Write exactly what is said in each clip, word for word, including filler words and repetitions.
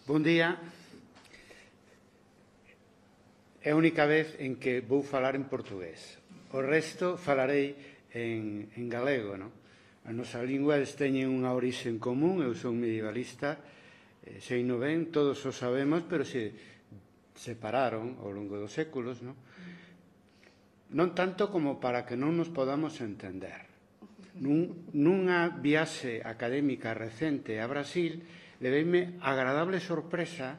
Bon día. É a única vez en que vou falar en portugués. O resto falarei en, en galego, non? As nosas linguas teñen unha orixe en común, eu son medievalista, eh, sei no ben, todos o sabemos, pero se separaron ao longo dos séculos, non? Non tanto como para que non nos podamos entender. Nun, nunha viaxe académica recente a Brasil, leveime agradable sorpresa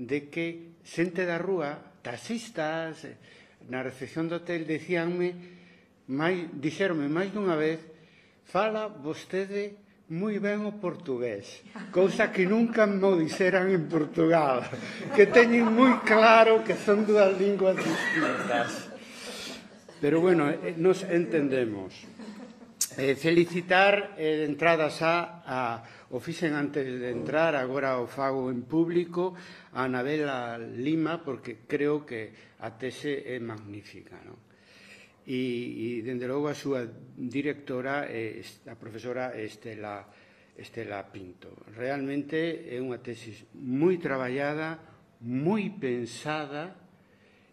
de que xente da rúa, taxistas, na recepción do hotel, dicíanme, máis, dixeronme máis dunha vez, fala vostede moi ben o portugués, cousa que nunca me dixeran en Portugal, que teñen moi claro que son dúas linguas distintas. Pero, bueno, nos entendemos. Eh, felicitar eh, de entrada xa a, o fixen antes de entrar, agora o fago en público, a Anabela Lima, porque creo que a tese é magnífica, non? E, e dende logo, a súa directora, eh, a profesora Estela, Estela Pinto. Realmente é unha tesis moi traballada, moi pensada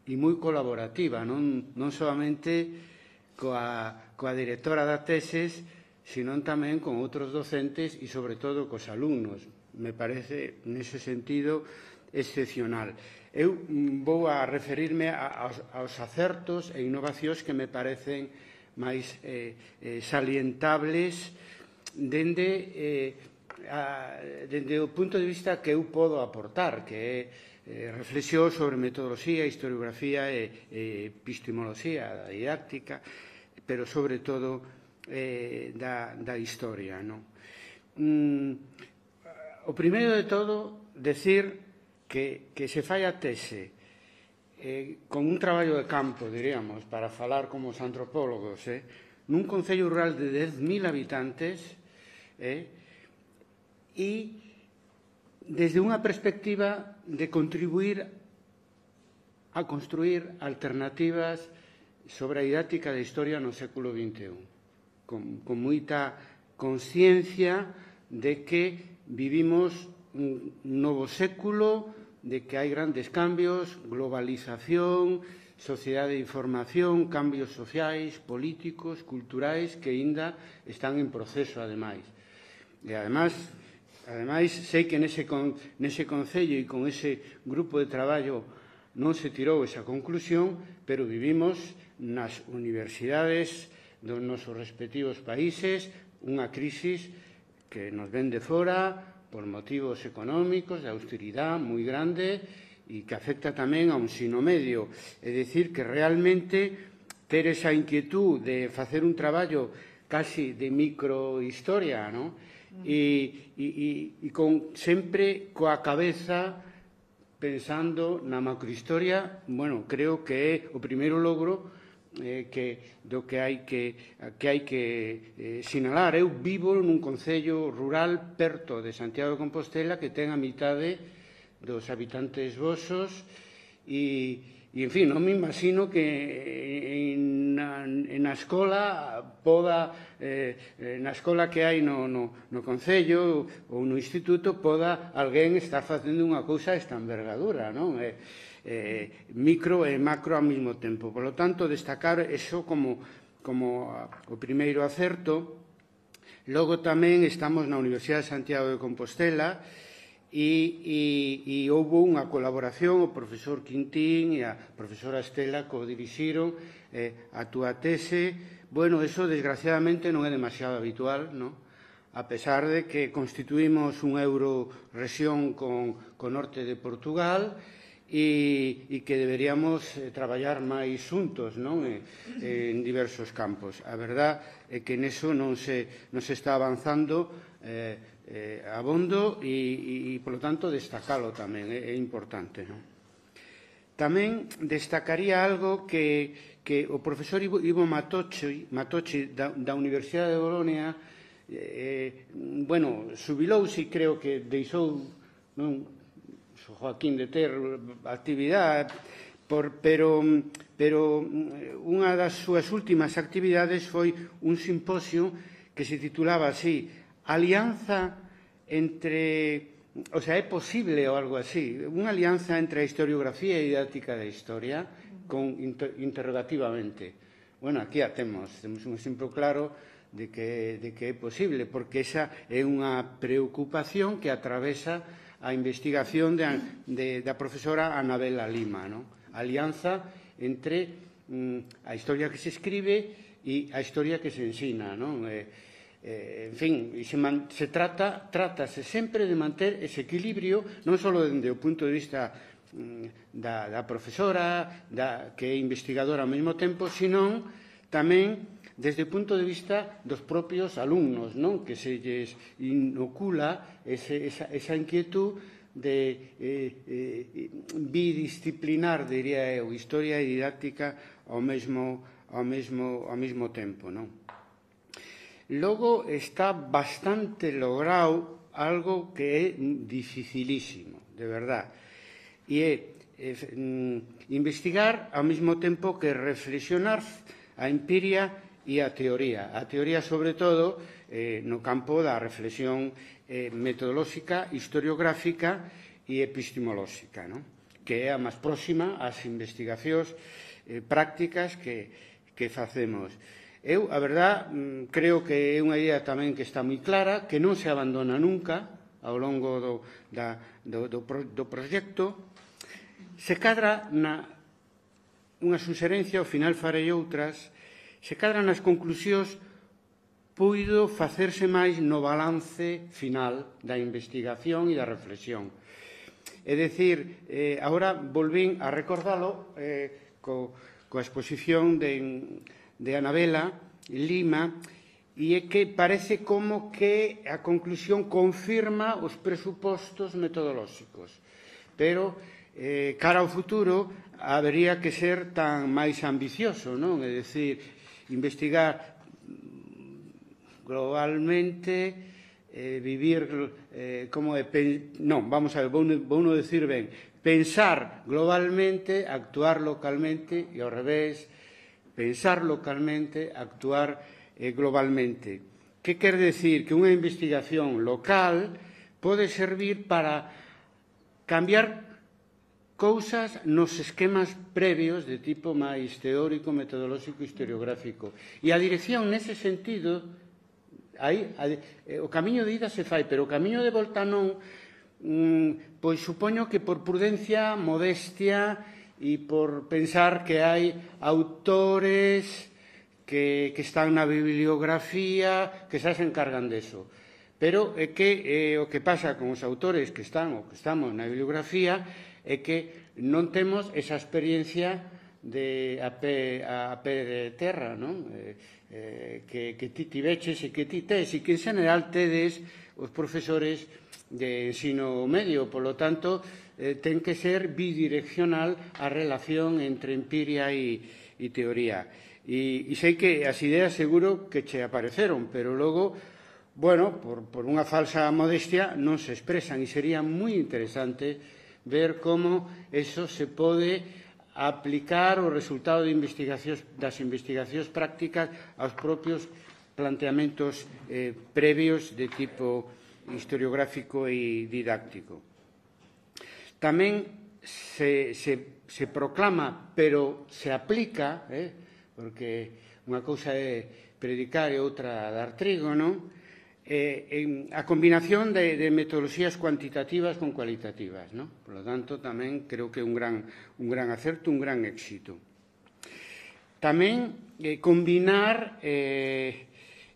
e moi colaborativa, non, non solamente coa, coa directora da tesis, sino tamén con outros docentes e, sobre todo, cos alumnos. Me parece, nese sentido, excepcional. Eu vou a referirme aos, aos acertos e innovacións que me parecen máis eh, eh, salientables dende, eh, a, dende o punto de vista que eu podo aportar, que é eh, reflexión sobre metodoloxía, historiografía e, e epistemoloxía da didáctica, pero sobre todo eh, da, da historia, non? Mm, o primeiro de todo, decir que, que se fai a tese eh, con un traballo de campo, diríamos, para falar como os antropólogos, eh, nun concello rural de dez mil habitantes, eh, e desde unha perspectiva de contribuir a construir alternativas sobre a didáctica da historia no século vinte e un, con, con moita consciencia de que vivimos un novo século, de que hai grandes cambios, globalización, sociedade de información, cambios sociais, políticos, culturais, que aínda están en proceso, ademais. E, ademais, ademais sei que nese, con, nese concello e con ese grupo de traballo non se tirou esa conclusión, pero vivimos nas universidades dos nosos respectivos países unha crisis que nos ven de fora por motivos económicos, de austeridade moi grande e que afecta tamén a un ensino medio. É dicir, que realmente ter esa inquietud de facer un traballo casi de microhistoria, non? E, e, e con, sempre coa cabeza pensando na macrohistoria, bueno, creo que é o primeiro logro eh, que, do que hai que, que, hai que eh, sinalar. Eu vivo nun concello rural perto de Santiago de Compostela que ten a mitade dos habitantes vosos e, e en fin, non me imagino que en, na, na escola poda, eh, na escola que hai no, no, no concello ou no instituto poda alguén estar facendo unha cousa desta envergadura, non? Eh, eh, micro e macro ao mesmo tempo. Por lo tanto, destacar eso como, como o primeiro acerto. Logo tamén estamos na Universidade de Santiago de Compostela e, e, e houve unha colaboración, o profesor Quintín e a profesora Estela co-dirixiron eh, a túa tese. Bueno, eso desgraciadamente non é demasiado habitual, non? A pesar de que constituímos un euro-rexión con, con norte de Portugal e, e que deberíamos eh, traballar máis xuntos, non? E, en diversos campos. A verdad é que neso non se, non se está avanzando eh, eh, abondo e, e, polo tanto, destacalo tamén, é, é importante, non? Tamén destacaría algo que, que o profesor Ivo, Ivo Matochi, Matochi da, da Universidade de Bolonia, eh, bueno, subilouse e creo que deixou, non, Joaquín de ter actividade, por, pero, pero unha das súas últimas actividades foi un simposio que se titulaba así, Alianza entre o sea, é posible ou algo así, unha alianza entre a historiografía e a didáctica da historia con inter interrogativamente. Bueno, aquí a temos, temos un exemplo claro de que, de que é posible, porque esa é unha preocupación que atravesa a investigación de, de, da profesora Anabela Lima, ¿no? A alianza entre mm, a historia que se escribe e a historia que se ensina, ¿no? Eh, Eh, en fin, se, man, se trata, trátase sempre de manter ese equilibrio, non só dende o punto de vista mm, da, da profesora, da, que é investigadora ao mesmo tempo, senón tamén desde o punto de vista dos propios alumnos, non? Que se lles inocula ese, esa, esa inquietud de eh, eh, bidisciplinar, diría eu, historia e didáctica ao mesmo, ao mesmo, ao mesmo tempo, non? Logo está bastante logrado algo que é dificilísimo, de verdad, e é eh, investigar ao mesmo tempo que reflexionar a empiria e a teoría. A teoría, sobre todo, eh, no campo da reflexión eh, metodolóxica, historiográfica e epistemolóxica, ¿no? Que é a máis próxima ás investigacións eh, prácticas que, que facemos. Eu, a verdad, creo que é unha idea tamén que está moi clara, que non se abandona nunca ao longo do, da, do, do, do proxecto. Se cadra na unha suxerencia, ao final farei outras, se cadra nas conclusións puido facerse máis no balance final da investigación e da reflexión. É dicir, eh, agora volvín a recordalo eh, co, coa exposición de... de Anabela Lima, e é que parece como que a conclusión confirma os presupostos metodolóxicos. Pero, eh, cara ao futuro, habería que ser tan máis ambicioso, non? É dicir, investigar globalmente, eh, vivir, eh, como é, non, vamos a ver, vou, vou non decir ben, pensar globalmente, actuar localmente, e ao revés, pensar localmente, actuar eh, globalmente. Que quer decir? Que unha investigación local pode servir para cambiar cousas nos esquemas previos de tipo máis teórico, metodolóxico e historiográfico. E a dirección, nese sentido, aí, a, eh, o camiño de ida se fai, pero o camiño de volta non, mm, pois supoño que por prudencia, modestia e por pensar que hai autores que, que están na bibliografía que xa se encargan deso. Pero é que eh, o que pasa con os autores que están ou que estamos na bibliografía é que non temos esa experiencia de a pé, a pé de terra, non? Eh, eh, que, que ti tiveches e que ti tes e que en general tedes os profesores de ensino medio, polo tanto, eh, ten que ser bidireccional a relación entre empiria e, e teoría. E, e sei que as ideas seguro que che apareceron, pero logo, bueno, por, por unha falsa modestia non se expresan e sería moi interesante ver como eso se pode aplicar o resultado de investigacións, das investigacións prácticas aos propios planteamentos eh, previos de tipo historiográfico e didáctico. Tamén se, se, se proclama, pero se aplica, eh, porque unha cousa é predicar e outra dar trigo, non? Eh, en, a combinación de, de metodoloxías cuantitativas con cualitativas, non? Por lo tanto, tamén creo que é un gran, un gran acerto, un gran éxito. Tamén eh, combinar eh,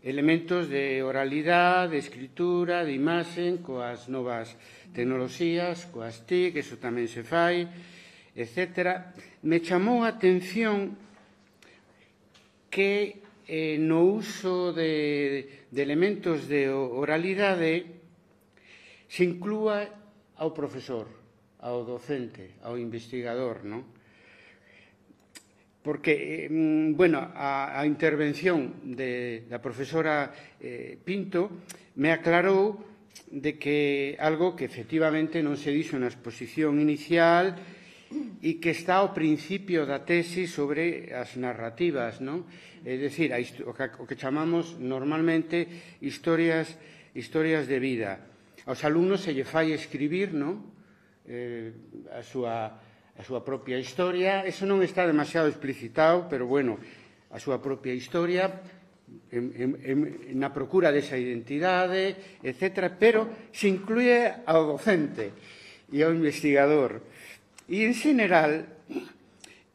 elementos de oralidade, de escritura, de imaxen, coas novas tecnoloxías, coas T I C, eso tamén se fai, etcétera. Me chamou a atención que eh, no uso de, de elementos de oralidade se inclúa ao profesor, ao docente, ao investigador, non? Porque, eh, bueno, a, a intervención de, da profesora eh, Pinto me aclarou de que algo que efectivamente non se dixo na exposición inicial e que está ao principio da tesi sobre as narrativas, non? É dicir, o que chamamos normalmente historias, historias de vida. aos alumnos se lle fai escribir, non? Eh, a súa, a súa propia historia. Eso non está demasiado explicitado, pero, bueno, a súa propia historia, en, en, en, na procura desa identidade, etcétera, pero se incluye ao docente e ao investigador. E, en general,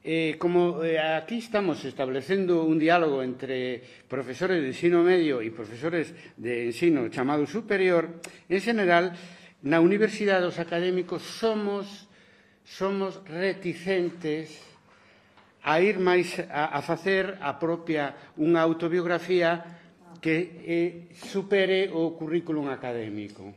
eh, como eh, aquí estamos establecendo un diálogo entre profesores de ensino medio e profesores de ensino chamado superior, en general, na universidade os académicos somos, somos reticentes a ir máis a, a facer a propia unha autobiografía que eh, supere o currículum académico.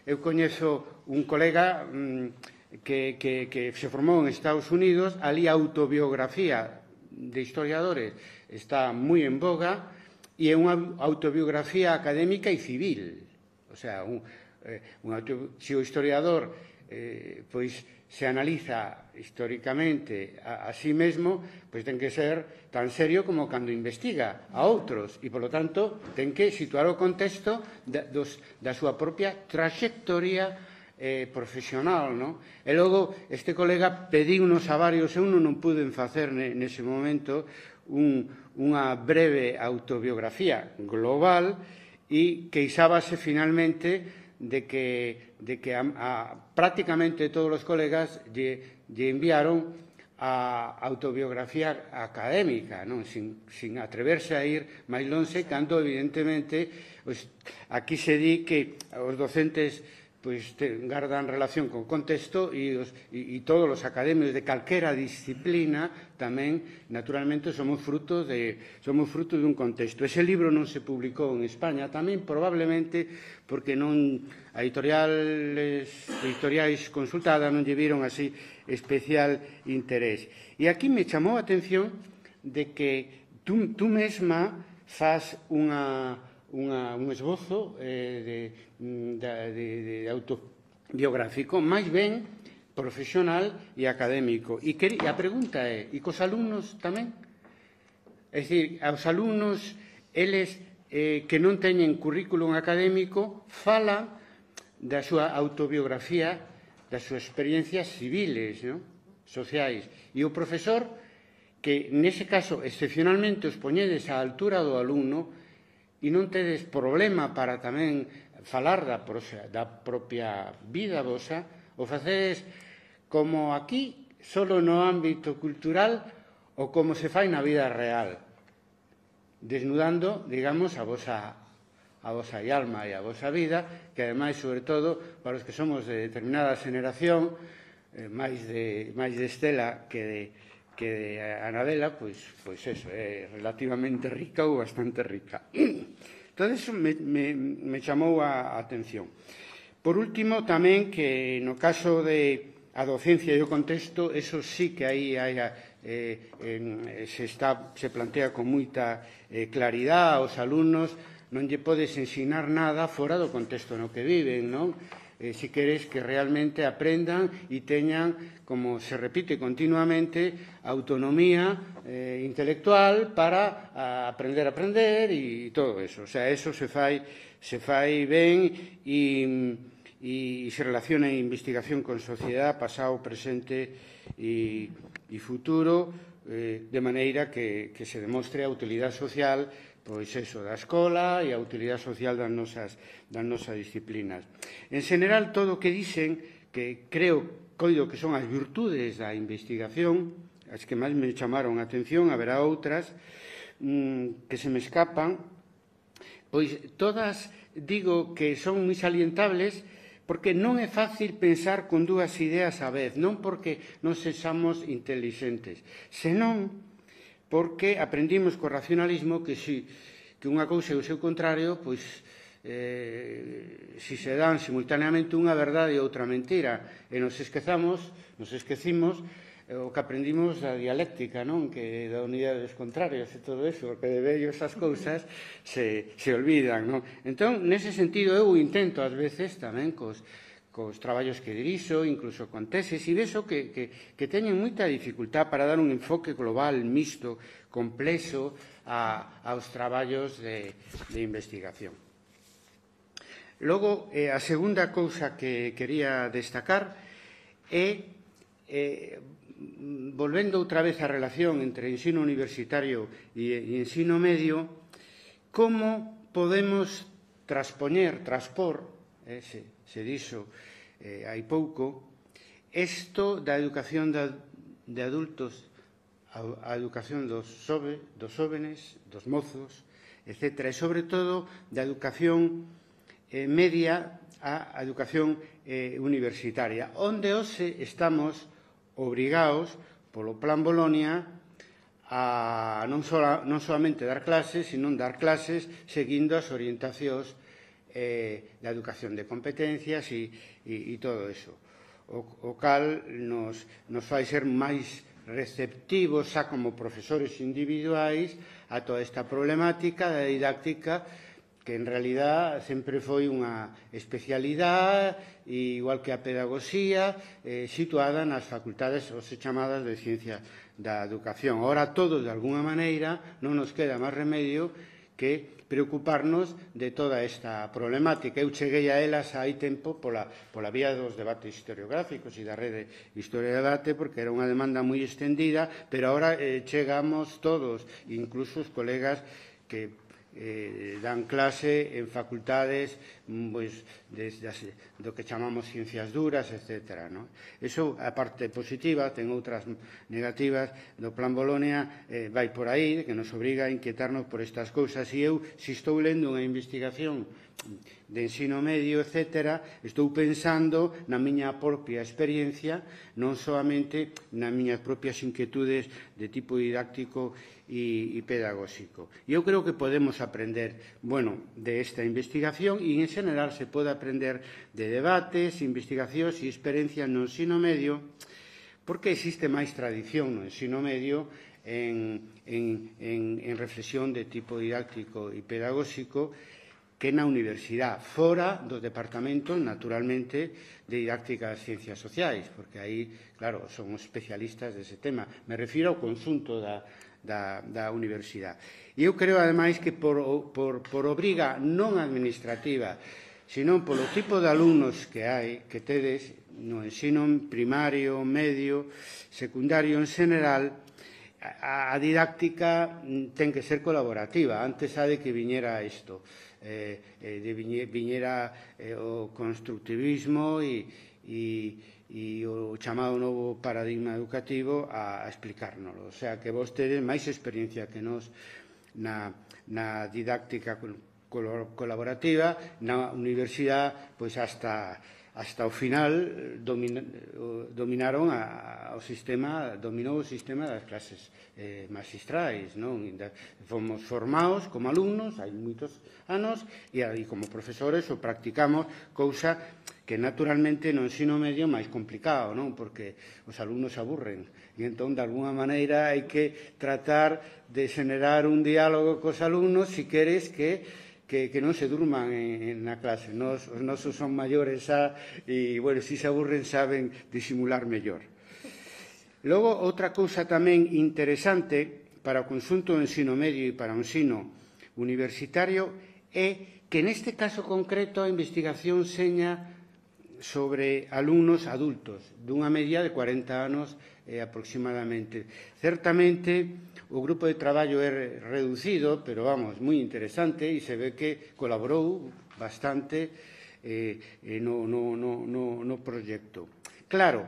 Eu coñezo un colega mmm, que, que, que se formou en Estados Unidos, ali a autobiografía de historiadores está moi en boga e é unha autobiografía académica e civil. O sea, un, eh, un auto, se o historiador eh, pois se analiza históricamente a, a sí mesmo, pois ten que ser tan serio como cando investiga a outros e, polo tanto, ten que situar o contexto da, dos, da súa propia trayectoria eh, profesional, non? E logo, este colega pediunos a varios, eu non, non pude facer ne, nese momento un, unha breve autobiografía global e queixábase finalmente de que, de que a, a, prácticamente todos os colegas lle, lle enviaron a autobiografía académica, non? Sin, sin atreverse a ir máis lonxe, cando, evidentemente, pues, aquí se di que os docentes pois, te, gardan relación con contexto e, os, e, e todos os académicos de calquera disciplina tamén, naturalmente, somos fruto de, somos fruto de un contexto. Ese libro non se publicou en España tamén, probablemente, porque non a editoriales, editoriais consultadas non lle viron así especial interés. E aquí me chamou a atención de que tú, tú mesma faz unha, unha, un esbozo eh, de, de, de, de autobiográfico, máis ben profesional e académico. E, que, e a pregunta é, e cos alumnos tamén? É dicir, aos alumnos, eles eh, que non teñen currículum académico, falan da súa autobiografía, das súas experiencias civiles, non? Sociais. E o profesor, que nese caso excepcionalmente os poñedes á altura do alumno e non tedes problema para tamén falar da, prosa, da propia vida vosa, o facedes como aquí, solo no ámbito cultural ou como se fai na vida real, desnudando, digamos, a vosa a vosa alma e a vosa vida, que ademais, sobre todo, para os que somos de determinada xeneración, eh, máis, de, máis de Estela que de, que de Anabela, pois, pois eso, é relativamente rica ou bastante rica. Entón, eso me, me, me chamou a atención. Por último, tamén que no caso de a docencia e o contexto, eso sí que aí hai eh, eh, se, está, se plantea con moita eh, claridade aos alumnos. Non lle podes ensinar nada fora do contexto no que viven, non? Eh, si queres que realmente aprendan e teñan, como se repite continuamente, autonomía eh, intelectual para a, aprender a aprender e todo eso. O sea, eso se fai, se fai ben e, e se relaciona a investigación con sociedade, pasado, presente e, e futuro, eh, de maneira que, que se demostre a utilidade social, pois eso, da escola e a utilidade social das nosas, das nosas disciplinas. En general, todo o que dicen, que creo, coido que son as virtudes da investigación, as que máis me chamaron a atención, haberá outras mmm, que se me escapan, pois todas digo que son moi salientables, porque non é fácil pensar con dúas ideas á vez, non porque non sexamos intelixentes, senón porque aprendimos co racionalismo que, si, que unha cousa e o seu contrario, pois, eh, si se dan simultaneamente unha verdade e outra mentira, e nos esquezamos, nos esquecimos eh, o que aprendimos da dialéctica, non? Que da unidade dos contrarios e todo eso, porque de vello esas cousas se, se olvidan, non? Entón, nese sentido, eu intento ás veces tamén cos cos traballos que dirixo, incluso con teses, e vexo que, que, que teñen moita dificultad para dar un enfoque global, mixto, complexo a, aos traballos de, de investigación. Logo, eh, a segunda cousa que quería destacar é, eh, volvendo outra vez á relación entre ensino universitario e, e ensino medio, como podemos traspoñer, transpor, eh, se, se dixo eh, hai pouco, isto da educación de, de adultos a, a educación dos, sobe, dos jóvenes, dos mozos, etcétera, e sobre todo da educación eh, media a educación eh, universitaria, onde hoxe estamos obrigados polo Plan Bolonia a non, sola, non solamente dar clases, sino dar clases seguindo as orientacións eh, da educación de competencias e, e, e todo eso. O, o cal nos, nos fai ser máis receptivos xa como profesores individuais a toda esta problemática da didáctica que en realidad sempre foi unha especialidade, igual que a pedagogía, eh, situada nas facultades ou se chamadas de ciencia da educación. Ora, todos, de alguna maneira, non nos queda máis remedio que preocuparnos de toda esta problemática. Eu cheguei a elas hai tempo pola, pola vía dos debates historiográficos e da rede Historia e Debate, porque era unha demanda moi extendida, pero agora eh, chegamos todos, incluso os colegas que Eh, dan clase en facultades pois, desde as, do que chamamos ciencias duras, etcétera. No? Iso, a parte positiva, ten outras negativas do Plan Bolonia, eh, vai por aí, que nos obriga a inquietarnos por estas cousas. E eu, se estou lendo unha investigación de ensino medio, etcétera, estou pensando na miña propia experiencia, non solamente nas miñas propias inquietudes de tipo didáctico e, e pedagóxico. E eu creo que podemos aprender, bueno, de esta investigación e, en general, se pode aprender de debates, investigacións e experiencias no ensino medio, porque existe máis tradición no ensino medio en, en, en, en reflexión de tipo didáctico e pedagóxico que na universidade, fora dos departamentos, naturalmente, de didáctica das ciencias sociais, porque aí, claro, son especialistas dese tema. Me refiro ao conxunto da, da, da universidade. E eu creo, ademais, que por, por, por obriga non administrativa, sino polo tipo de alumnos que hai, que tedes no ensino primario, medio, secundario en general, a, a didáctica ten que ser colaborativa. Antes ha de que viñera isto. Eh, eh, de viñera eh, o constructivismo e, e, e o chamado novo paradigma educativo a, a explicárnoslo. O sea, que vos tedes máis experiencia que nos na, na didáctica colaborativa, na universidade, pois hasta hasta o final domina, dominaron a, o sistema, dominou o sistema das clases eh, magistrais, non? Fomos formados como alumnos, hai moitos anos, e aí como profesores o practicamos, cousa que naturalmente no ensino medio máis complicado, non? Porque os alumnos aburren, e entón, de alguna maneira, hai que tratar de xenerar un diálogo cos alumnos se queres que Que, que non se durman en, en na clase. Nos, os nosos son maiores xa, e, bueno, se se aburren saben disimular mellor. Logo, outra cousa tamén interesante para o conxunto do ensino medio e para o ensino universitario é que neste caso concreto a investigación seña sobre alumnos adultos, dunha media de cuarenta anos eh, aproximadamente. Certamente, o grupo de traballo é reducido, pero, vamos, moi interesante, e se ve que colaborou bastante eh, no, no, no, no, no proxecto. Claro,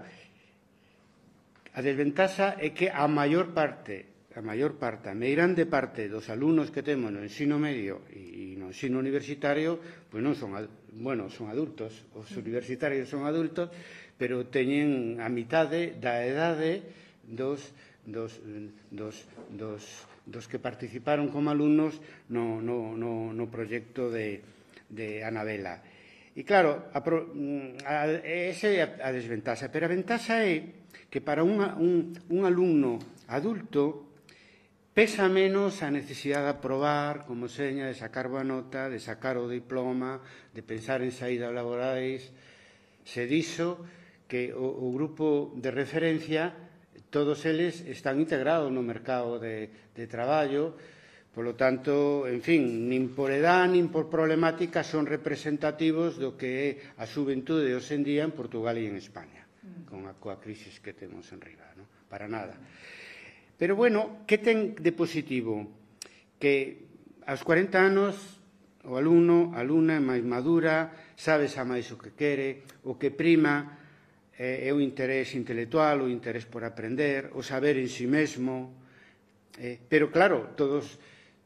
a desventaxa é que a maior parte, a maior parte, a meirande parte dos alumnos que temos no ensino medio e no ensino universitario, pois non son, bueno, son adultos, os universitarios son adultos, pero teñen a mitade da edade dos Dos, dos, dos, dos que participaron como alumnos no, no, no, no proxecto de, de Anabela. E claro, a, a, esa é a, a desventaxa, pero a ventaxa é que para unha, un, un alumno adulto pesa menos a necesidade de aprobar como seña, de sacar boa nota, de sacar o diploma, de pensar en saídas laborais. Se dixo que o, o grupo de referencia todos eles están integrados no mercado de, de traballo, Polo tanto, en fin, nin por edad, nin por problemática son representativos do que é a xuventude hoxe en día en Portugal e en España, con a coa crisis que temos en riba, non? Para nada. Pero, bueno, que ten de positivo? Que aos cuarenta anos o alumno, a alumna é máis madura, sabe xa máis o que quere, o que prima é o interés intelectual, o interés por aprender, o saber en si mesmo. Eh, pero, claro, todos...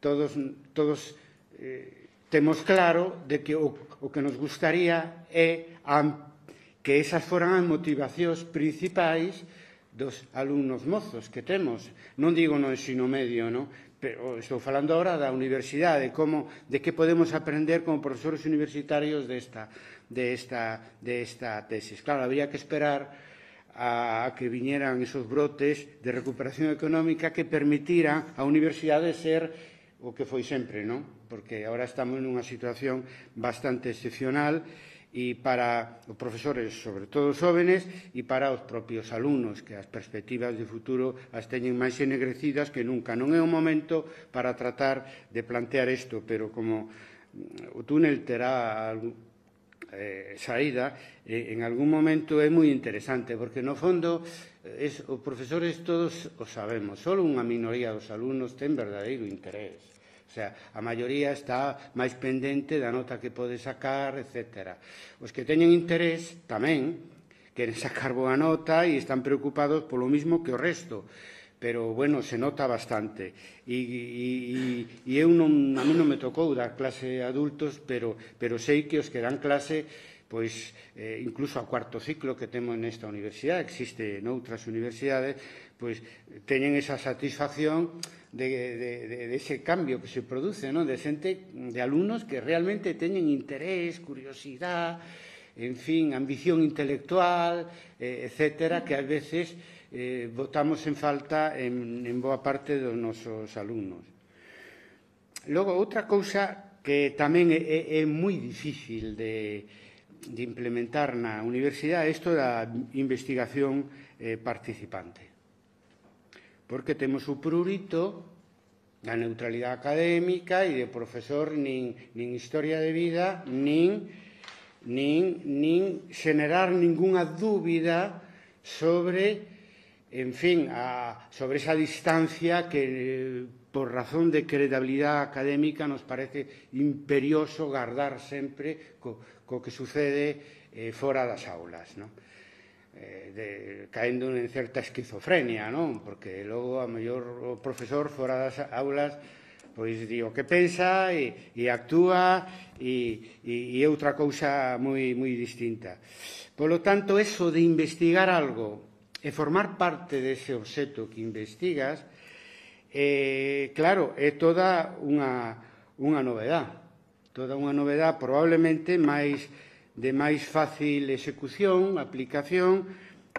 Todos, todos eh, temos claro de que o, o que nos gustaría é a, que esas foran as motivacións principais dos alumnos mozos que temos. Non digo no ensino medio, non? Pero estou falando agora da universidade, como, de que podemos aprender como profesores universitarios desta, desta, desta tesis. Claro, habría que esperar a que viñeran esos brotes de recuperación económica que permitiran a universidade ser o que foi sempre, non? Porque agora estamos nunha situación bastante excepcional e para os profesores, sobre todo os jóvenes, e para os propios alumnos, que as perspectivas de futuro as teñen máis ennegrecidas que nunca. Non é o momento para tratar de plantear isto, pero como o túnel terá eh, saída, eh, en algún momento é moi interesante, porque no fondo es, os profesores todos o sabemos, só unha minoría dos alumnos ten verdadeiro interés. O sea, a maioría está máis pendente da nota que pode sacar, etcétera. Os que teñen interés tamén queren sacar boa nota e están preocupados polo mismo que o resto. Pero, bueno, se nota bastante. E, e, e eu non, a mí non me tocou dar clase a adultos, pero, pero sei que os que dan clase, pois, eh, incluso a cuarto ciclo que temos nesta universidade, existe noutras universidades, pois teñen esa satisfacción de, de, de, de ese cambio que se produce, non? De xente, de alumnos que realmente teñen interés, curiosidade, en fin, ambición intelectual, eh, etcétera, que ás veces eh, botamos en falta en, en boa parte dos nosos alumnos. Logo, outra cousa que tamén é, é moi difícil de, de implementar na universidade é isto da investigación eh, participante. Porque temos o prurito da neutralidade académica e de profesor nin, nin historia de vida, nin, nin, nin xenerar ningunha dúbida sobre, en fin, a, sobre esa distancia que, por razón de credibilidade académica, nos parece imperioso guardar sempre co, co que sucede eh, fora das aulas, non? Eh, de, caendo en certa esquizofrenia, non? Porque logo a mellor o profesor fora das aulas pois di o que pensa e, e actúa e, e, e outra cousa moi, moi distinta. Polo tanto, eso de investigar algo e formar parte dese obxecto que investigas, eh, claro, é toda unha, unha novedade. Toda unha novedade probablemente máis de máis fácil execución, aplicación,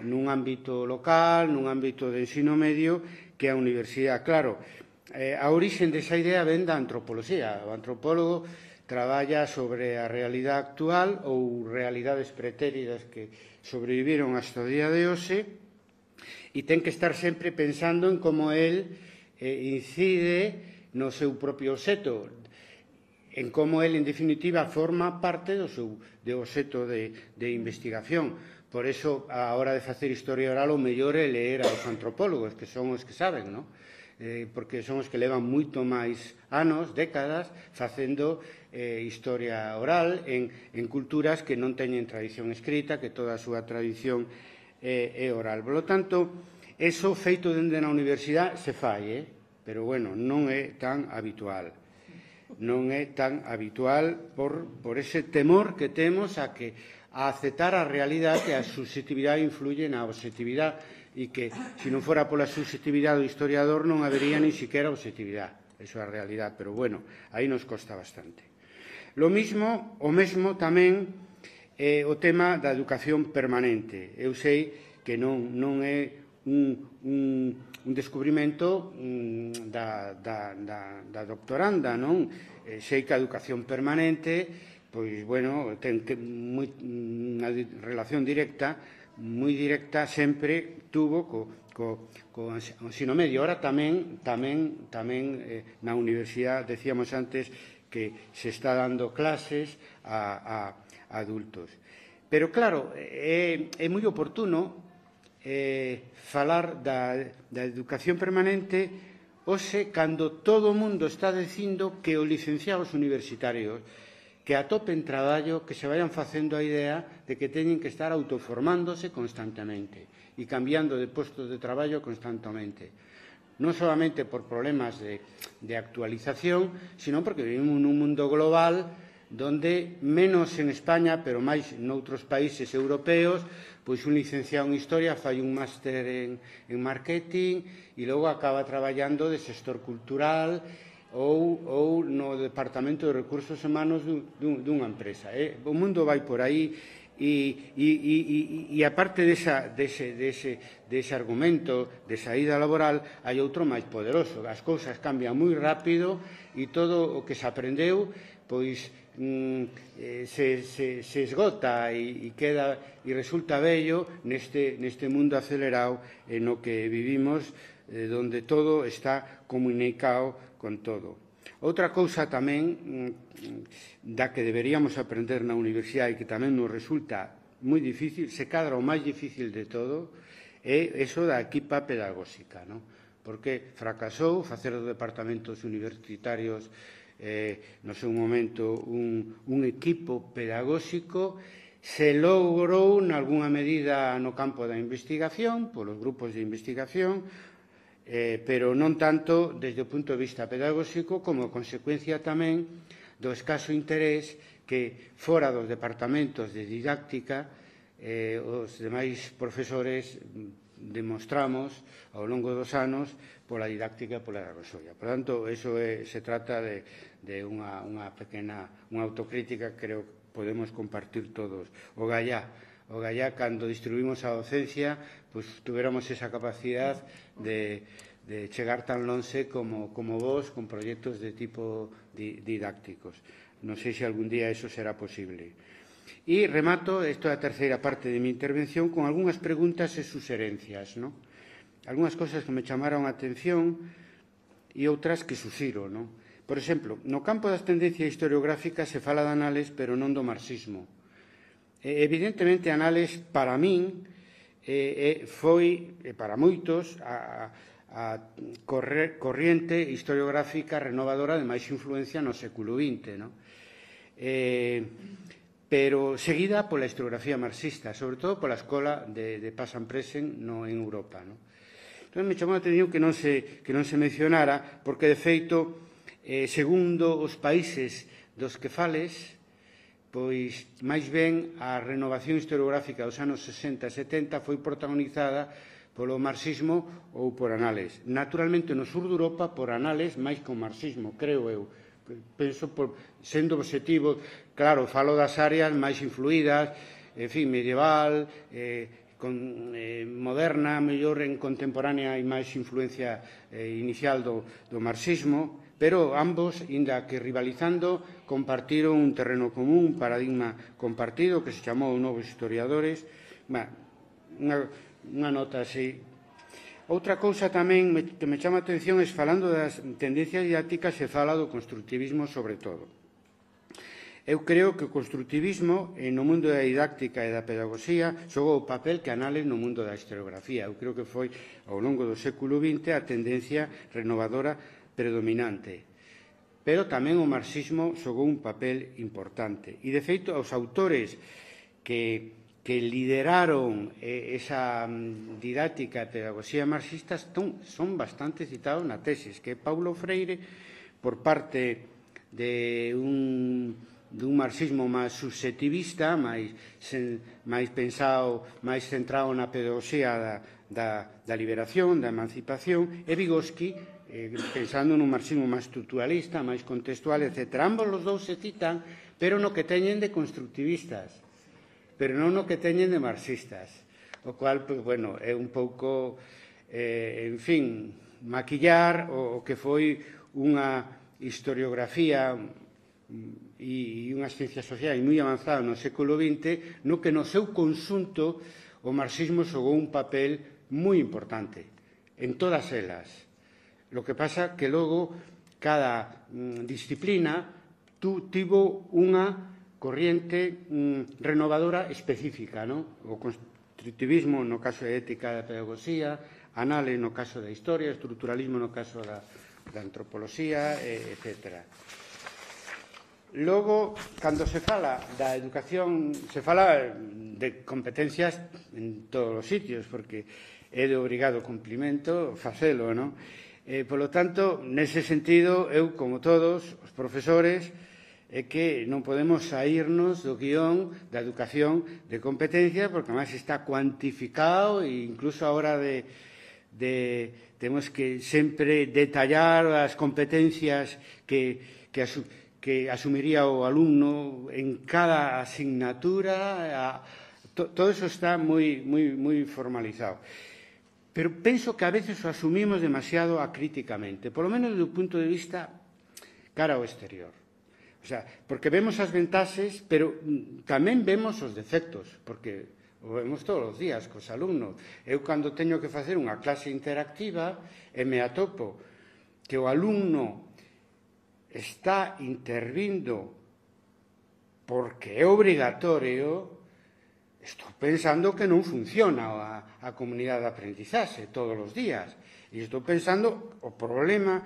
nun ámbito local, nun ámbito de ensino medio, que a universidade. Claro, eh, a orixe desa idea ven da antropoloxía. O antropólogo traballa sobre a realidade actual ou realidades pretéridas que sobreviviron hasta o día de hoxe e ten que estar sempre pensando en como el eh, incide no seu propio obxecto, en como el, en definitiva, forma parte do seu de obxecto de, de investigación. Por eso, a hora de facer historia oral, o mellor é ler aos antropólogos, que son os que saben, non? Eh, porque son os que levan moito máis anos, décadas, facendo eh, historia oral en, en culturas que non teñen tradición escrita, que toda a súa tradición eh, é oral. Por lo tanto, eso feito dende na universidade se fai, eh? Pero, bueno, non é tan habitual. Non é tan habitual por, por ese temor que temos a que a aceptar a realidade que a subxetividade influye na obxectividade e que, se non fora pola subxetividade do historiador, non habería ni siquiera obxectividade. Eso é a realidade, pero, bueno, aí nos costa bastante. Lo mismo, o mesmo tamén é o tema da educación permanente. Eu sei que non, non é un, un un descubrimento mm, da, da, da, da doctoranda, non? Eh, sei que a educación permanente, pois, bueno, ten que moi, unha relación directa, moi directa sempre tuvo co, co, co ensino medio. Ahora tamén, tamén, tamén eh, na universidade, decíamos antes, que se está dando clases a, a, a adultos. Pero, claro, é, é moi oportuno eh, falar da, da educación permanente hoxe, cando todo o mundo está dicindo que os licenciados universitarios que atopen traballo, que se vayan facendo a idea de que teñen que estar autoformándose constantemente e cambiando de postos de traballo constantemente. Non solamente por problemas de, de actualización, sino porque vivimos nun mundo global donde, menos en España, pero máis noutros países europeos, pois un licenciado en Historia fai un máster en, en marketing e logo acaba traballando de xestor cultural ou, ou no Departamento de Recursos Humanos dun, dunha empresa. Eh? O mundo vai por aí e, e, e, e, e aparte desa, dese, dese, dese argumento de saída laboral, hai outro máis poderoso. As cousas cambian moi rápido e todo o que se aprendeu pois mm, eh, se, se, se esgota e, e queda e resulta bello neste, neste mundo acelerado en no que vivimos, eh, donde todo está comunicado con todo. Outra cousa tamén mm, da que deberíamos aprender na universidade e que tamén nos resulta moi difícil, se cadra o máis difícil de todo, é eso da equipa pedagóxica, non? Porque fracasou facer os departamentos universitarios eh, no seu momento un, un equipo pedagóxico. Se logrou nalgúna medida no campo da investigación, polos grupos de investigación, eh, pero non tanto desde o punto de vista pedagóxico, como consecuencia tamén do escaso interés que fora dos departamentos de didáctica eh, os demais profesores demostramos ao longo dos anos pola didáctica e pola pedagoxía. Por tanto, eso é, se trata de, de unha, unha pequena unha autocrítica que creo que podemos compartir todos. O Gallá, o Gallá, cando distribuímos a docencia, pues, tuviéramos esa capacidade de, de chegar tan lonxe como, como vos, con proxectos de tipo di, didácticos. Non sei se algún día eso será posible. E remato, isto é a terceira parte de mi intervención, con algunhas preguntas e suxerencias, ¿no? Algúnas cosas que me chamaron a atención e outras que suxiro, ¿no? Por exemplo, no campo das tendencias historiográficas se fala de Anales, pero non do marxismo. E, evidentemente, Anales, para min, eh, foi, e para moitos, a, a corre, corriente historiográfica renovadora de máis influencia no século vinte, ¿no? Eh, pero seguida pola historiografía marxista, sobre todo pola escola de, de Paz and Present no, en Europa, ¿no? Entón, me chamou a atención que non se, que non se mencionara, porque, de feito, eh, segundo os países dos que fales, pois, máis ben, a renovación historiográfica dos anos sesenta e setenta foi protagonizada polo marxismo ou por Anales. Naturalmente, no sur de Europa, por Anales, máis que o marxismo, creo eu. Penso, por, sendo objetivo, claro, falo das áreas máis influídas, en fin, medieval, eh, con, eh, moderna, mellor en contemporánea e máis influencia eh, inicial do, do marxismo, pero ambos, inda que rivalizando, compartiron un terreno común, un paradigma compartido que se chamou Novos Historiadores. Bah, unha, unha nota así. Outra cousa tamén que me chama a atención é, falando das tendencias didácticas, se fala do constructivismo sobre todo. Eu creo que o constructivismo no mundo da didáctica e da pedagogía xogou o papel que Anales no mundo da historiografía. Eu creo que foi ao longo do século vinte a tendencia renovadora predominante. Pero tamén o marxismo xogou un papel importante. E, de feito, os autores que que lideraron eh, esa um, didáctica e pedagogía marxistas son, son bastante citados na tesis, que é Paulo Freire, por parte de un, de un marxismo máis subxectivista, máis, sen, máis pensado, máis centrado na pedagogía da, da, da liberación, da emancipación, e Vygotsky, eh, pensando nun marxismo máis estructuralista, máis contextual, etcétera. Ambos os dous se citan, pero no que teñen de constructivistas, pero non o que teñen de marxistas, o cual, pues, bueno, é un pouco, eh, en fin, maquillar o, o que foi unha historiografía e unhas ciencias sociais moi avanzadas no século vinte, no que no seu conxunto o marxismo xogou un papel moi importante, en todas elas. Lo que pasa que logo cada mm, disciplina tú tivo unha corriente mm, renovadora específica, no? O constructivismo no caso de ética da pedagogía, anale no caso da historia, estruturalismo no caso da, da antropoloxía, eh, etcétera. Logo, cando se fala da educación, se fala de competencias en todos os sitios, porque é de obrigado cumplimento facelo, non? Eh, polo tanto, nese sentido, eu, como todos os profesores, é que non podemos saírnos do guión da educación de competencia, porque máis está cuantificado e incluso a hora de, de temos que sempre detallar as competencias que, que, asu, que asumiría o alumno en cada asignatura. A, to, todo eso está moi, moi, moi formalizado. Pero penso que a veces o asumimos demasiado acríticamente, por lo menos do punto de vista cara ao exterior. O sea, porque vemos as ventaxes, pero tamén vemos os defectos, porque o vemos todos os días cos alumnos. Eu, cando teño que facer unha clase interactiva, e me atopo que o alumno está intervindo porque é obrigatorio, estou pensando que non funciona a, a comunidade de aprendizaxe todos os días. E estou pensando o problema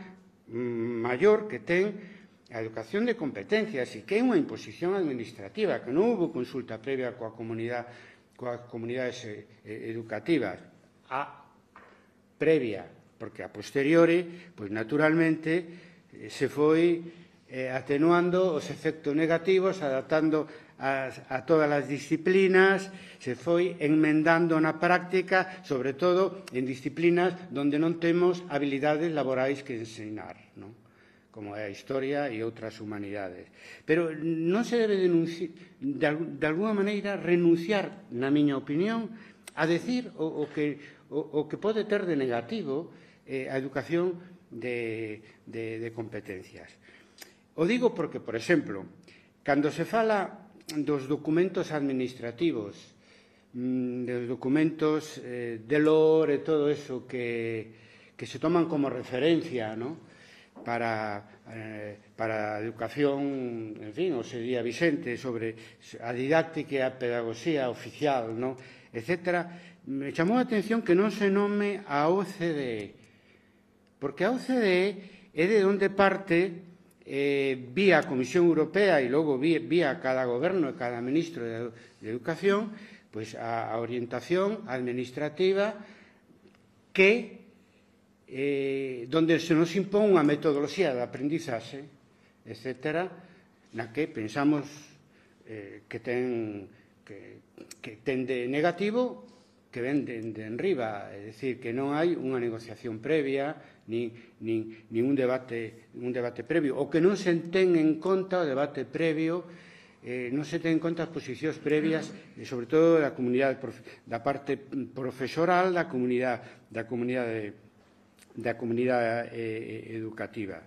maior que ten a educación de competencias e que é unha imposición administrativa, que non houve consulta previa coa comunidade, coas comunidades educativas. A previa, porque a posteriori, pois naturalmente, se foi eh, atenuando os efectos negativos, adaptando a, a todas as disciplinas, se foi enmendando na práctica, sobre todo en disciplinas onde non temos habilidades laborais que ensinar, non? Como é a historia e outras humanidades. Pero non se debe denunciar, de, de alguna maneira renunciar, na miña opinión, a decir o, o, que, o, o que pode ter de negativo eh, a educación de, de, de competencias. O digo porque, por exemplo, cando se fala dos documentos administrativos, dos documentos eh, de lore e todo eso que, que se toman como referencia, ¿no? Para, eh, para a educación, en fin, o sería Vicente, sobre a didáctica e a pedagogía oficial, ¿no? Etcétera, me chamou a atención que non se nome a O C D E, porque a O C D E é de onde parte, eh, vía a Comisión Europea e logo vía, vía cada goberno e cada ministro de, de Educación, pois a, a orientación administrativa que Eh, donde se nos impón unha metodoloxía de aprendizaxe, etcétera, na que pensamos eh, que ten que, que ten de negativo que ven de, de enriba, é dicir, que non hai unha negociación previa, nin, nin, nin un debate, un debate previo, ou que non se ten en conta o debate previo, eh, non se ten en conta as posicións previas, e sobre todo da comunidade, da parte profesoral, da comunidade, da comunidade da comunidade eh, educativa.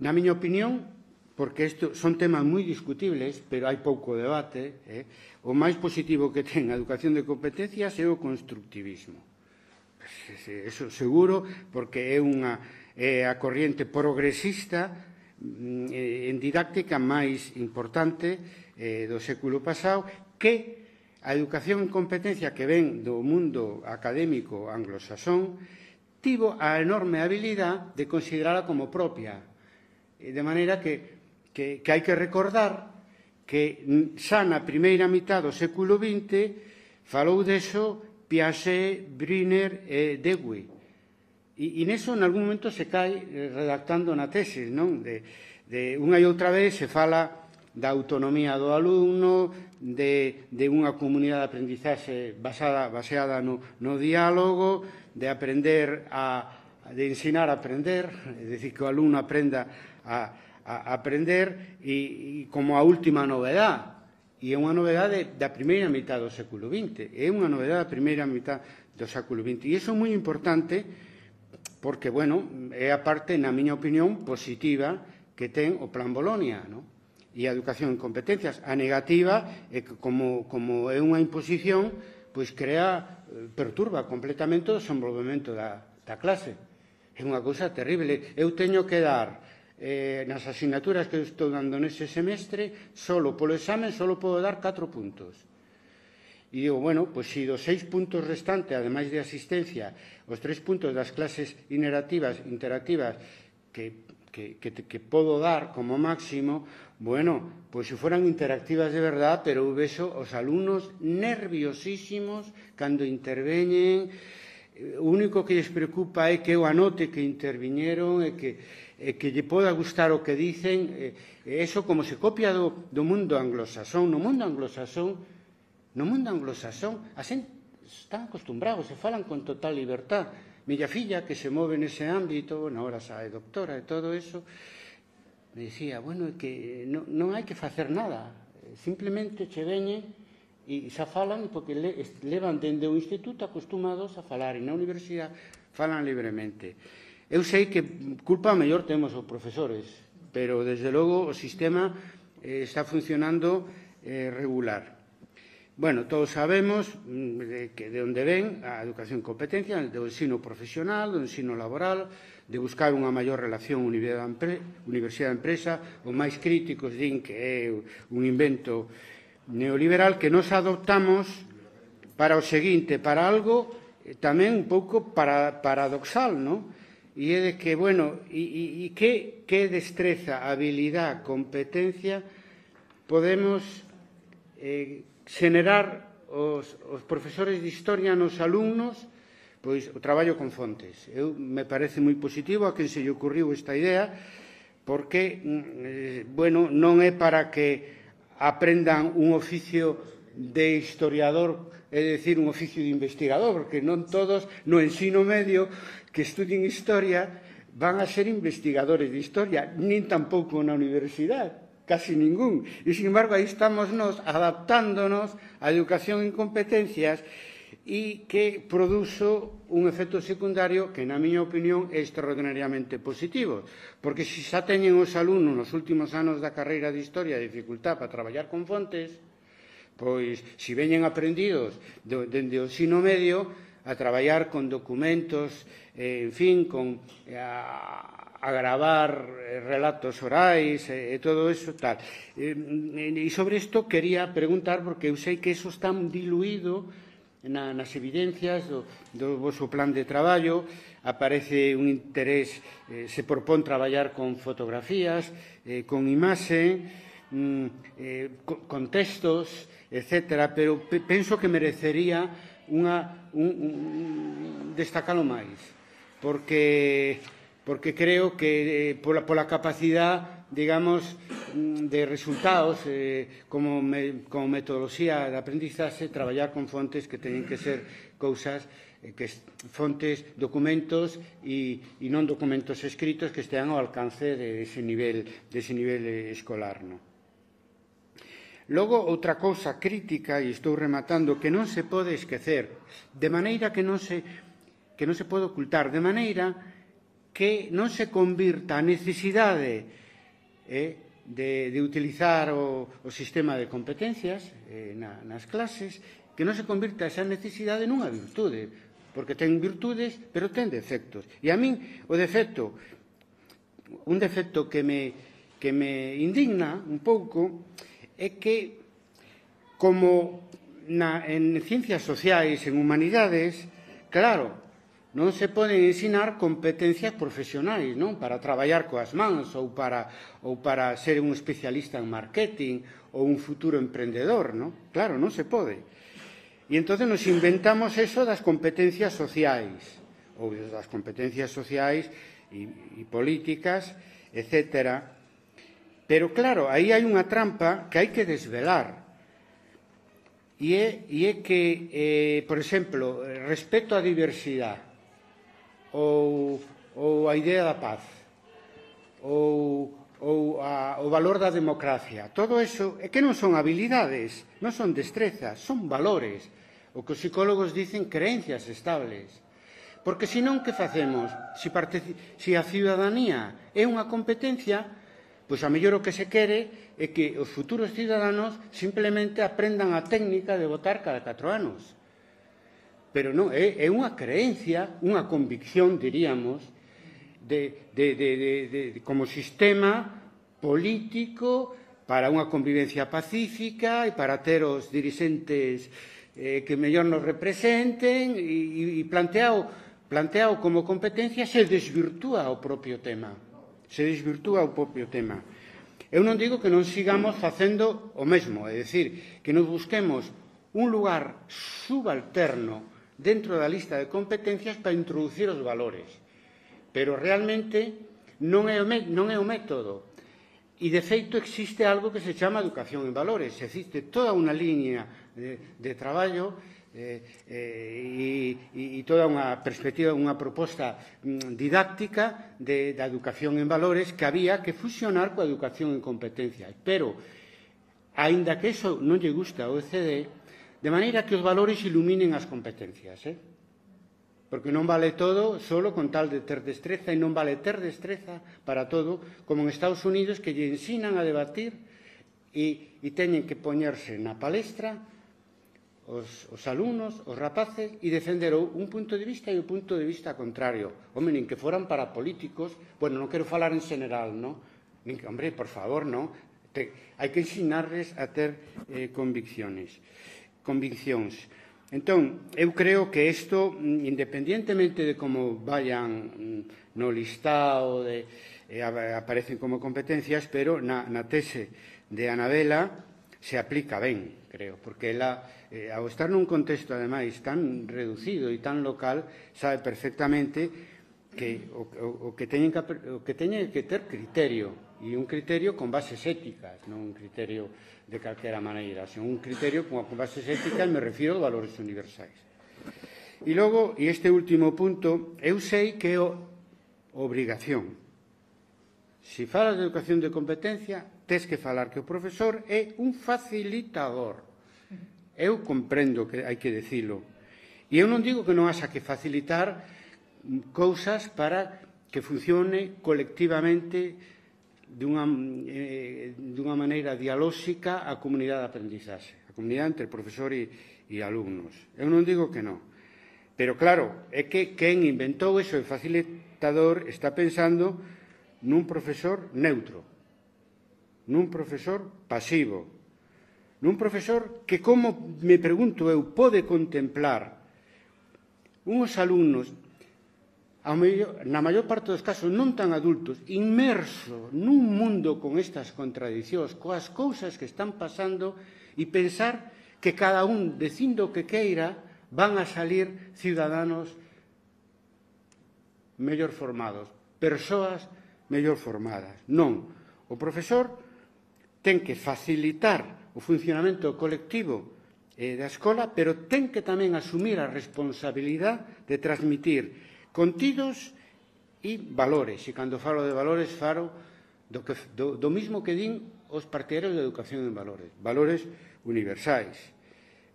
Na miña opinión, porque isto son temas moi discutibles, pero hai pouco debate, eh, o máis positivo que ten a educación de competencias é o constructivismo. Eso seguro, porque é unha é a corriente progresista eh, en didáctica máis importante eh, do século pasado, que a educación en competencia que ven do mundo académico anglosaxón tivo a enorme habilidade de considerala como propia. De maneira que, que, que hai que recordar que xa na primeira mitad do século vinte falou deso Piaget, Brunner e Dewey. E, e neso, en algún momento, se cae redactando na tesis, non? De, de unha e outra vez se fala da autonomía do alumno, de, de unha comunidade de aprendizaxe basada, baseada no, no diálogo, de aprender a, de ensinar a aprender, é dicir, que o alumno aprenda a, a aprender e, e como a última novedade, e é unha novedade da primeira mitad do século vinte, é unha novedade da primeira mitad do século vinte, e iso é moi importante porque, bueno, é a parte, na miña opinión, positiva que ten o Plan Bolonia, non? E a educación en competencias. A negativa é que, como, como é unha imposición, pois crea perturba completamente o desenvolvemento da, da clase. É unha cousa terrible. Eu teño que dar eh, nas asignaturas que estou dando nese semestre, solo polo examen, solo podo dar catro puntos. E digo, bueno, pois se dos seis puntos restantes, ademais de asistencia, os tres puntos das clases interactivas, interactivas que, que, que, que podo dar como máximo, bueno, pois se foran interactivas de verdad, pero eu vexo os alumnos nerviosísimos cando interveñen. O único que lles preocupa é que eu anote que interviñeron e que, e que lle poda gustar o que dicen. E eso como se copia do, do mundo anglosasón. No mundo anglosasón, no mundo anglosasón, a xente están acostumbrados, se falan con total libertad. Miña filla, que se move nese ámbito, na hora xa é doctora e todo eso, me dicía, bueno, é que non, non hai que facer nada, simplemente che veñen e xa falan porque le, levan dende o instituto acostumados a falar e na universidade falan libremente. Eu sei que culpa mellor temos os profesores, pero desde logo o sistema eh, está funcionando eh, regular. Bueno, todos sabemos de, que de onde ven a educación e competencia, do ensino profesional, do ensino laboral, de buscar unha maior relación universidade-empresa. Os máis críticos din que é un invento neoliberal que nos adoptamos para o seguinte, para algo tamén un pouco para, paradoxal, non? E é de que, bueno, e, e, e que, que destreza, habilidade, competencia podemos eh, xenerar os, os profesores de historia nos alumnos, pois o traballo con fontes. Eu me parece moi positivo a quen se lle ocurriu esta idea, porque, eh, bueno, non é para que aprendan un oficio de historiador, é dicir, un oficio de investigador, porque non todos no ensino medio que estudien historia van a ser investigadores de historia, nin tampouco na universidade. Casi ningún. E, sin embargo, aí estamos nos adaptándonos á educación en competencias e que produzo un efecto secundario que, na miña opinión, é extraordinariamente positivo. Porque se xa teñen os alumnos nos últimos anos da carreira de Historia dificultad para traballar con fontes, pois, se veñen aprendidos dende o ensino medio a traballar con documentos, eh, en fin, con a, a gravar relatos orais e, e todo eso, tal. E, e sobre isto quería preguntar, porque eu sei que eso está diluído na, nas evidencias do, do vosso plan de traballo, aparece un interés, eh, se propón traballar con fotografías, eh, con imaxe, mm, eh, con, con textos, etcétera, pero pe, penso que merecería unha, un, un, destacalo máis, porque... porque creo que eh, pola, pola capacidade, digamos, de resultados, eh, como, me, como metodoloxía de aprendizaxe, traballar con fontes que teñen que ser cousas, eh, que fontes, documentos e, e non documentos escritos que estean ao alcance de ese nivel, de ese nivel escolar, non? Logo, outra cousa crítica, e estou rematando, que non se pode esquecer, de maneira que non se, que non se pode ocultar, de maneira que non se convirta a necesidade eh, de, de utilizar o, o sistema de competencias eh, na, nas clases, que non se convirta esa necesidade nunha virtude, porque ten virtudes, pero ten defectos. E a min o defecto, un defecto que me, que me indigna un pouco, é que, como na, en ciencias sociais, en humanidades, claro, non se poden ensinar competencias profesionais, non? Para traballar coas mans ou para, ou para ser un especialista en marketing ou un futuro emprendedor, non? Claro, non se pode. E entón nos inventamos eso das competencias sociais, ou das competencias sociais e, e políticas, etcétera. Pero claro, aí hai unha trampa que hai que desvelar. E é, e é que, eh, por exemplo, respecto á diversidade, ou, ou a idea da paz, ou, ou a, o valor da democracia. Todo eso é que non son habilidades, non son destrezas, son valores. O que os psicólogos dicen creencias estables. Porque senón, que facemos? Se, se a ciudadanía é unha competencia, pois a mellor o que se quere é que os futuros ciudadanos simplemente aprendan a técnica de votar cada catro anos. pero non, é, é unha creencia, unha convicción, diríamos, de, de, de, de, de, como sistema político para unha convivencia pacífica e para ter os dirixentes eh, que mellor nos representen e, e planteado, planteado como competencia se desvirtúa o propio tema. Se desvirtúa o propio tema. Eu non digo que non sigamos facendo o mesmo, é dicir, que nos busquemos un lugar subalterno dentro da lista de competencias para introducir os valores. Pero realmente non é o, non é o método. E, de feito, existe algo que se chama educación en valores. Existe toda unha línea de, de traballo eh, eh, e, e toda unha perspectiva, unha proposta mm, didáctica de, da educación en valores que había que fusionar coa educación en competencias. Pero, aínda que eso non lle gusta ao O E C D, de maneira que os valores iluminen as competencias, eh? Porque non vale todo solo con tal de ter destreza e non vale ter destreza para todo, como en Estados Unidos, que lle ensinan a debatir e, e teñen que poñerse na palestra os, os alumnos, os rapaces, e defender un punto de vista e o punto de vista contrario. Home, nin que foran para políticos, bueno, non quero falar en general, non? Nin que, hombre, por favor, non? Te, hai que ensinarles a ter eh, convicciones. Conviccións. Entón, eu creo que isto, independientemente de como vayan no listado, de, eh, aparecen como competencias, pero na, na tese de Anabela se aplica ben, creo, porque ela, eh, ao estar nun contexto, ademais, tan reducido e tan local, sabe perfectamente que o, o, o que teñen que, o que teñen que ter criterio, e un criterio con bases éticas, non un criterio de calquera maneira, senón un criterio con bases éticas, me refiro aos valores universais. E logo, e este último punto, eu sei que é obrigación. Se falas de educación de competencia, tes que falar que o profesor é un facilitador. Eu comprendo que hai que dicilo. E eu non digo que non haxa que facilitar cousas para que funcione colectivamente dunha, eh, dunha maneira dialóxica a comunidade de aprendizaxe, a comunidade entre profesor e, e alumnos. Eu non digo que non. Pero, claro, é que quen inventou eso de facilitador está pensando nun profesor neutro, nun profesor pasivo, nun profesor que, como me pregunto eu, pode contemplar uns alumnos na maior parte dos casos non tan adultos, inmerso nun mundo con estas contradicións, coas cousas que están pasando, e pensar que cada un, dicindo o que queira, van a salir ciudadanos mellor formados, persoas mellor formadas. Non. O profesor ten que facilitar o funcionamento colectivo da escola, pero ten que tamén asumir a responsabilidade de transmitir contidos e valores. E cando falo de valores, falo do, que, do, do mismo que din os partidarios de educación en valores. Valores universais,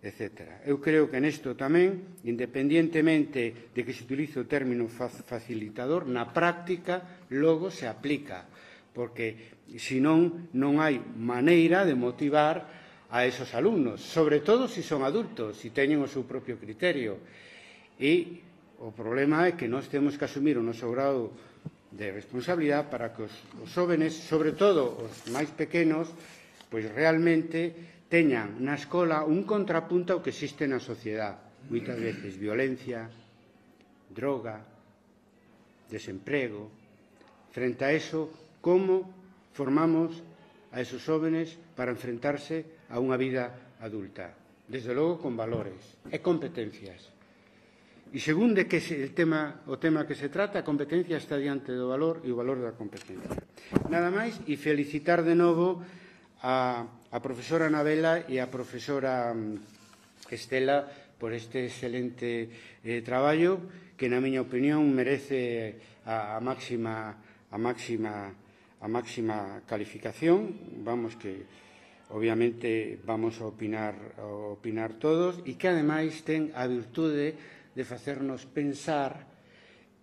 etcétera. Eu creo que nesto tamén, independientemente de que se utilice o término facilitador, na práctica logo se aplica, porque senón non hai maneira de motivar a esos alumnos, sobre todo se son adultos, se teñen o seu propio criterio. E o problema é que nós temos que asumir o noso grado de responsabilidade para que os, os jóvenes, sobre todo os máis pequenos, pois realmente teñan na escola un contrapunto ao que existe na sociedade. Moitas veces violencia, droga, desemprego. Frente a eso, como formamos a esos jóvenes para enfrentarse a unha vida adulta? Desde logo con valores e competencias. E segundo que el tema, o tema que se trata, a competencia está diante do valor e o valor da competencia. Nada máis, e felicitar de novo a, a profesora Anabela e a profesora Estela por este excelente eh, traballo que, na miña opinión, merece a, a máxima a máxima a máxima calificación. Vamos que, obviamente, vamos a opinar, a opinar todos, e que, ademais, ten a virtude de facernos pensar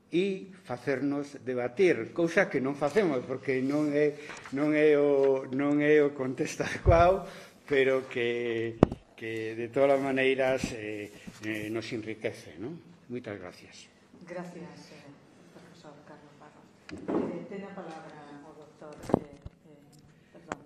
e facernos debatir, cousa que non facemos, porque non é, non é, o, non é o contexto adecuado, pero que, que de todas as maneiras eh, eh, nos enriquece, non? Moitas gracias. Gracias, eh, profesor Carlos Barros. Eh, ten a palabra